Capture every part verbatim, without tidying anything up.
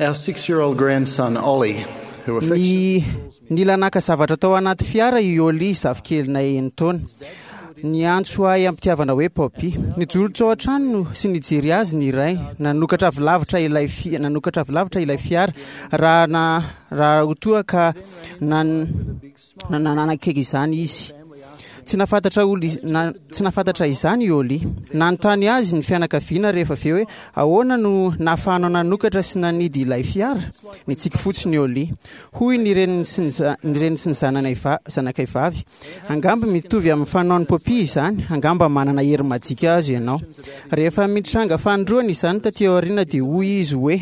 Our six-year-old grandson Ollie, who Ny nila naka zavatra tao anaty fiara i Oli, zafikelinay enin-taona. Niantso ahy am-pitiavana hoe Poppy. Nijoro tao an-trano sy nijery azy ny iray. Nanokatra avy lavitra ilay fi- nanokatra avy lavitra ilay fiara raha na raha ho toa ka nan nanakaiky izany izy. Tsy nahafantatra olo iz- na, tsy nahafantatra izany i Oli. Nanontany azy ny fianakaviana rehefa avy eo hoe ahoana no nahafahanao nanokatra sy nanidy ilay fiara? Nitsiky fotsiny i Oli. Hoy ny reniny sy ny za- ny reniny sy ny zananay va- zanakay vavy. Angamba mitovy amin'ny fanaon'i Poppy izany, angamba manana hery majika azy ianao. Rehefa mitranga fanindroany izany taty aoriana dia hoy izy hoe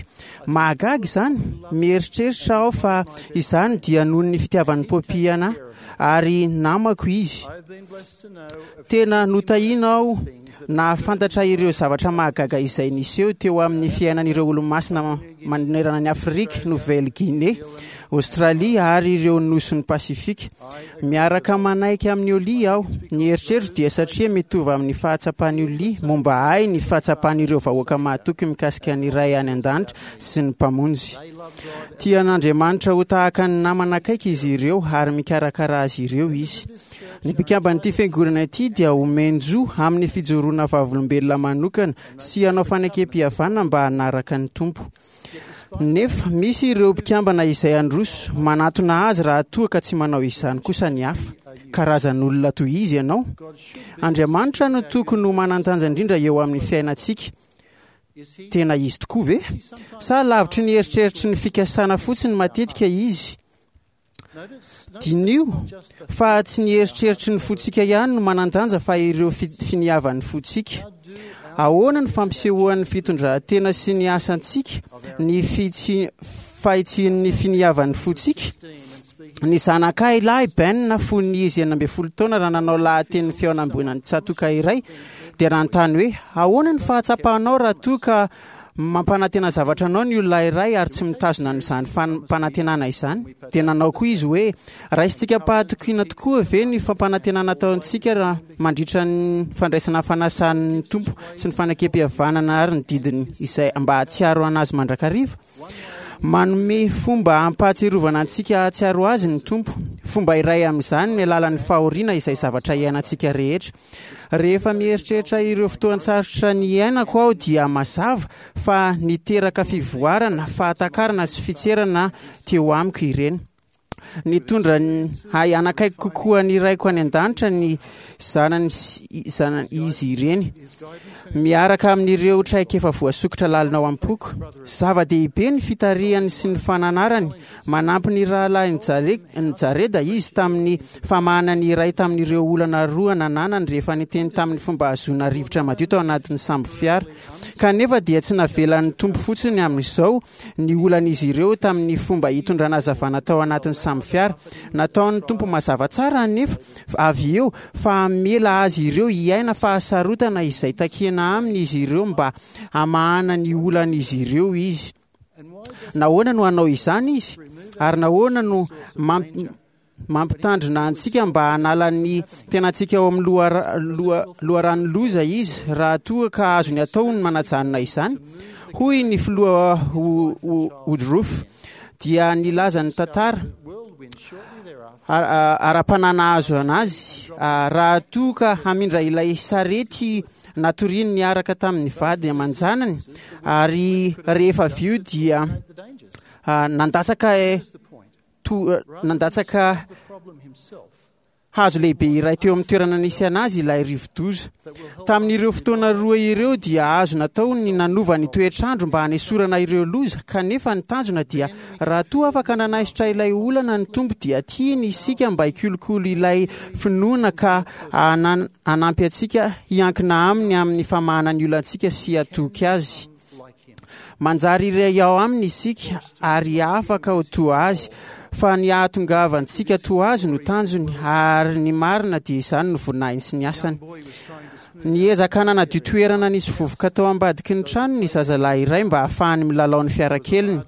mahagaga izany, mieritreritra aho fa izany dia noho ny fitiavan'i Poppy anahy ary namako izy. Tena notahiana aho nahafantatra ireo zavatra mahagaga izay niseho teo amin'ny fiainan'ireo olo-masina manerana ny Afrika, Nouvelle-Guinée, Australie ary ireo nosin'ny Pasifika. Miaraka manaiky amin'ny Oli aho. Ny eritreritro dia satria mitovy amin'ny fahatsapan'i Oli momba ahy ny fahatsapan'ireo vahoaka mahatoky mikasika ny Ray any an-danitra sy ny Mpamonjy. Tian'Andriamanitra ho tahaka ny namana akaiky izy ireo ary mikarakara azy ireo izy. Ny mpikamban'ity fiangonana ity dia omen-jo amin'ny fijoroana vavolombelona manokana sy hanao fanekem-pihavanana mba hanaraka ny Tompo. Nefa misy ireo mpikambana izay handroso manatona azy raha toa ka tsy manao izany kosa ny hafa. Karazan'olona toy izy ianao. Andriamanitra no tokony ho manan-danja indrindra eo amin'ny fiainantsika. Tena izy tokoa ve? Sa lavitry ny eritreritry ny fikasana fotsiny matetika izy? Diniho fa tsy ny eritreritry ny fontsika ihany no manan-danja fa ireo fi- finiavan'ny fontsika. Ahoana ny fampisehoan'ny fitondran-tena sy ny asantsika ny fitsi- fahitsian'ny finiavan'ny fontsika? Ny zanakay lahy Ben fony izy enina ambin'ny folo taona raha nanao lahatenin'ny fihaonamben'ny tsatòka iray dia nanontany hoe ahoana ny fahatsapanao raha toa ka mampanantena zavatra anao ny olona iray ary tsy mitazona an'izany fampanantenana izany? Dia nanao koa izy hoe raisintsika am-pahatokiana tokoa ve ny fampanantenana ataontsika raha mandritra ny fandraisana fanasan'ny Tompo sy ny fanekem-pihavanana ary ny didiny izay mba hahatsiaro anazy mandrakariva? Manome fomba hampahatsiarovana antsika hahatsiaro azy ny Tompo. Fomba iray amin'izany ny alalan'ny fahoriana izay zavatra iainantsika rehetra. Rehefa mieritreritra ireo fotoan-tsarotra niainako aho dia mazava fa niteraka fivoarana, fahatakarana sy fitserana teo amiko ireny. Nitondra ny ahy hanakaiky kokoa ny Raiko any an-danitra ny zanany sy zanany izy ireny, miaraka amin'ireo traikefa voasokitra lalina ao am-poko. Zava-dehibe ny fitarihany sy ny fananarany. Manampy ny rahalahin'i Jare- Jareda izy tamin'ny famahana ny iray tamin'ireo olana roa nananany rehefa niteny tamin'ny fomba hahazoana rivotra madio tao anatin'ny sambo fiara. Kanefa dia tsy navelan'ny Tompo fotsiny amin'izao ny olan'izy ireo tamin'ny fomba hitondrana hazavana tao anatin'ny sambo fiara. Nataon'ny Tompo mazava tsara anefa avy eo fa hamela azy ireo hiaina fahasarotana izay takiana aminy izy ireo mba hamahana ny olan'izy ireo izy. Nahoana no hanao izany izy? Ary nahoana no mamp- mampitandrina antsika mba hanala ny tenantsika ao amin'ny lohara- loha- loharano loza izy raha toa ka azony atao ny manajanona izany? Hoy ny filoha Woodruff dia nilaza ny tantara ara-panahy nahazo anazy raha toa ka hamindra ilay sarety natoriany niaraka tamin'ny vady aman-janany ary rehefa avy eo dia nandatsaka to- nandatsaka hazo lehibe iray teo amin'ny toerana nisy anazy ilay rivodoza. Tamin'ireo fotoana roa ireo dia azo natao ny nanova ny toetrandro mba hanesorana ireo loza, kanefa ny tanjona dia raha toa afaka nanaisotra ilay olana ny Tompo dia tiany isika mba hikolokolo ilay finoana ka hanan- hanampy antsika hiankina aminy amin'ny famahana ny olantsika sy hatoky azy. Manjary iray ao aminy isika ary afaka ho toa azy, fa ny hahatongavantsika toa azy no tanjony, ary ny marina dia izany no voninahiny sy ny asany. Niezaka nanadio toerana nisy vovoka tao ambadiky ny trano ny zazalahy iray mba hahafahany milalao ny fiarakeliny.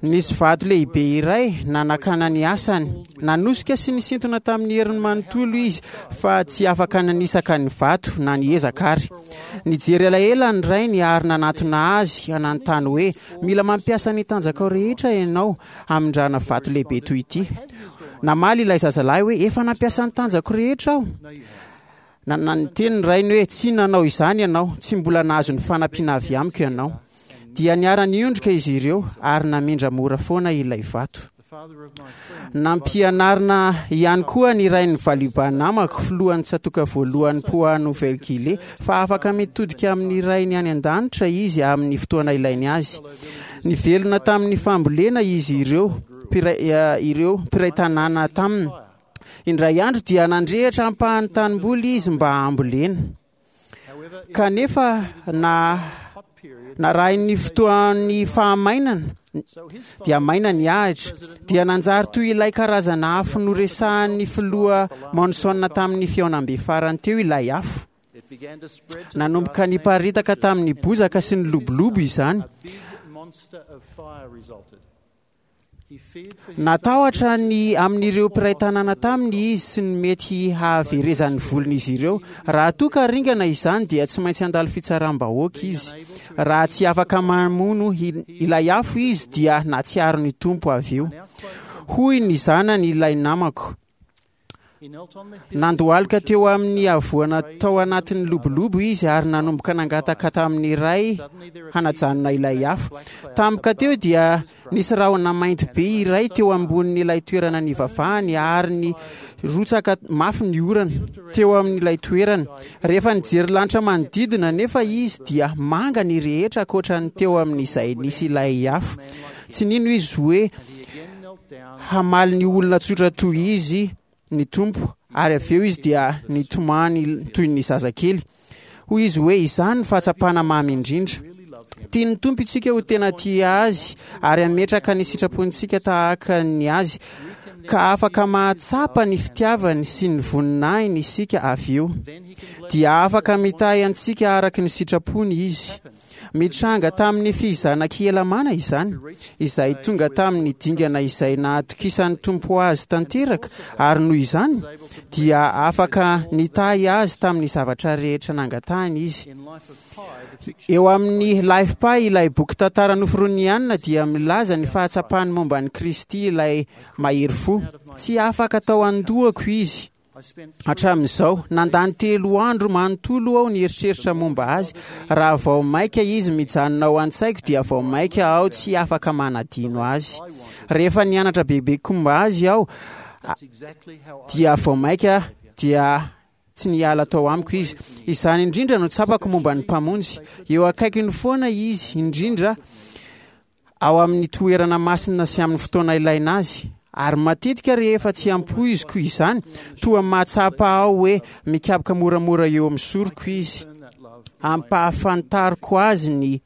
Nisy vato lehibe iray nanakana ny asany. Nanosika sy nisintona tamin'ny heriny manontolo izy fa tsy afaka nanisaka ny vato na niezaka ary. Nijery elaela ny rainy ary nanatona azy nanontany hoe: "Mila mampiasa ny tanjakao rehetra ianao hamindrana vato lehibe toy ity." Namaly ilay zazalahy hoe: "Efa nampiasa ny tanjako rehetra aho." Niteny ny rainy hoe: "Tsy nanao izany ianao, tsy mbola nahazo ny fanampiana avy amiko ianao." Dia niara-niondrika izy ireo ary namindra mora foana ilay vato. Nampianarina ihany koa ny rain'ny valiba namako, filohan'ny tsatoka voalohany Papouasie Nouvelle-Guinée, fa afaka mitodika amin'ny rainy any an-danitra izy amin'ny fotoana ilainy azy. Nivelona tamin'ny fambolena izy ireo mpiray ireo mpiray tanàna taminy. Indray andro dia nandrehitra ampahan'ny tanimboly izy mba hambolena. Kanefa na narahin'ny fotoan'ny fahamainana dia maina ny ahitra, dia nanjary toy ilay karazana afo noresahan'ny filoha Monson tamin'ny fihaonambe farany teo ilay afo. Nanomboka niparitaka tamin'ny bozaka sy ny lobolobo izany. Natahotra ny amin'ireo mpiray tanàna taminy izy sy ny mety hahaverezan'ny volon'izy ireo. Raha toa ka ringana izany dia tsy maintsy handalo fitsaram-bahoaka izy. Raha tsy afaka mamono ilay afo izy dia nahatsiaro ny Tompo avy eo. Hoy ny zanany ilay namako. Nandohalika teo amin'ny havoana tao anatin'ny lobolobo izy ary nanomboka nangataka tamin'ny ray hanajanona ilay afo. Tampoka teo dia nisy rahona mainty be iray teo ambonin'ilay toerana nivavahany ary ny rotsaka mafy ny orana teo amin'ilay toerana. Rehefa nijery lanitra manodidina nefa izy dia manga ny rehetra ankoatra ny teo amin'izay nisy ilay afo. Tsy nino izy hoe hamaly ny olona tsotra toy izy ny Tompo, ary avy eo izy dia nitomany toy ny zazakely. Hoy izy hoe: "Izany ny fahatsapana mamy indrindra." Tian'ny Tompo isika ho tena tia azy ary hametraka ny sitrapontsika tahaka ny azy, ka afaka mahatsapa ny fitiavany sy ny voninahiny isika avy eo. Dia afaka mitahy antsika araka ny sitrapony izy. Mitranga tamin'ny fizanak'i Helamàna izany, izay tonga tamin'ny dingana izay nahatokisan'ny Tompo azy tanteraka, ary noho izany dia afaka nitahy azy tamin'ny zavatra rehetra nangatahany izy. Eo amin'ny Life Pi, ilay boky tantara noforoniny Anna, dia milaza ny fahatsapany momba an'i Kristy ilay mahery fo. Tsy afaka tao an-dohako izy hatramin'izao. Nandany telo andro manontolo aho nieritreritra momba azy. Raha vao maika izy mijanona ao an-tsaiko dia vao maika aho tsy afaka manadino azy. Rehefa nianatra bebe momba azy aho dia vao maika dia tsy niala tao amiko izy. Izany indrindra no tsapako momba ny Mpamonjy. Eo akaikiny foana izy, indrindra ao amin'ny toerana masina sy amin'ny fotoana ilaina azy. Ary matetika rehefa tsy ampoiziko izany, toa mahatsapa aho hoe mikapoka moramora eo amin'ny soroko izy. Ampahafantariko azy ny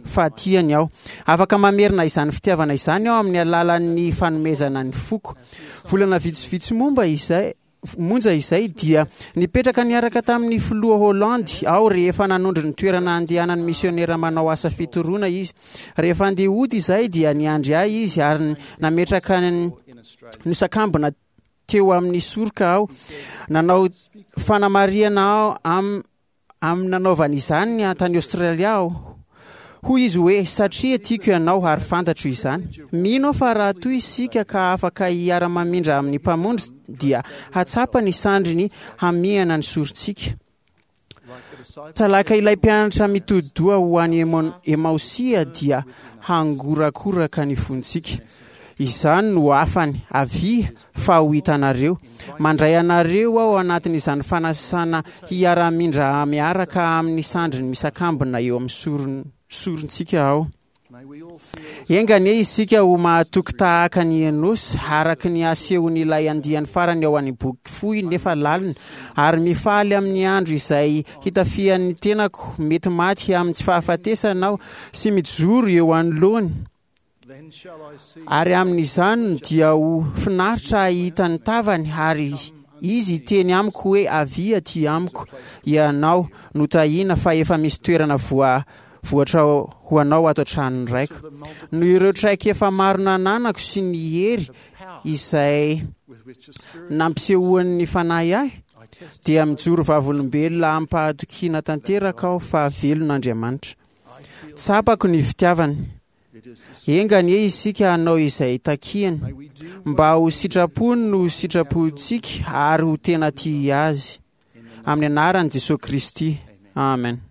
fahatiany aho. Afaka mamerina izany fitiavana izany aho amin'ny alalan'ny fanomezana ny foko. Volana vitsivitsy momba izay monja izay dia nipetraka niaraka tamin'ny filoha Holandy aho rehefa nanondro ny toerana andehanan'ny misionera manao asa fitoroana izy. Rehefa andeha hody izay dia niandry ahy izy ary nametraka ny nosakambina teo amin'ny soroka aho. Nanao fanamarihana aho am amin'ny nanaovany izany tany Australia aho. Hoy izy hoe: "Satria tiako ianao ary fantatro izany." Mino aho fa raha toy isika ka afaka hiara-mamindra amin'ny Mpamonjy dia hatsapa ny sandriny hamihana ny sorontsika. Talaka ilay mpianatra mitodi-doha ho any Emaosia dia hangorakoraka ny fontsika. Izany no hafany: "Avia fa ho hitanareo." Mandray anareo aho anatin'izany fanasana hiara-mindra miaraka amin'ny sandriny misakambina eo amin'ny soron sorontsika aho. Enga anie isika ho mahatoky tahaka ny Enosy, araka ny asehon'ilay andiany farany ao any boky fohy nefa lalina, ary mifaly amin'ny andro izay hitafian'ny tenako mety maty amin'ny tsy fahafatesana aho sy mijoro eo anoloany. Ary amin'izany dia ho finaritra hahita ny tavany, ary izy hiteny amiko hoe: "Avia aty amiko ianao notahina, fa efa misy toerana voa voatra ho anao ato an-tranon'ny Raiko. Noho ireo traikefa maro nananako sy ny hery izay nampisehoan'ny Fanahy ahy, dia mijoro vavolombelona amim-pahatokiana tanteraka aho fa velona Andriamanitra. Tsapako ny fitiavany. Enga anie isika hanao izay takiany, mba ho sitrapony no sitrapontsika ary ho tena tia azy. Amin'ny anaran'i Jesosy Kristy. Amen.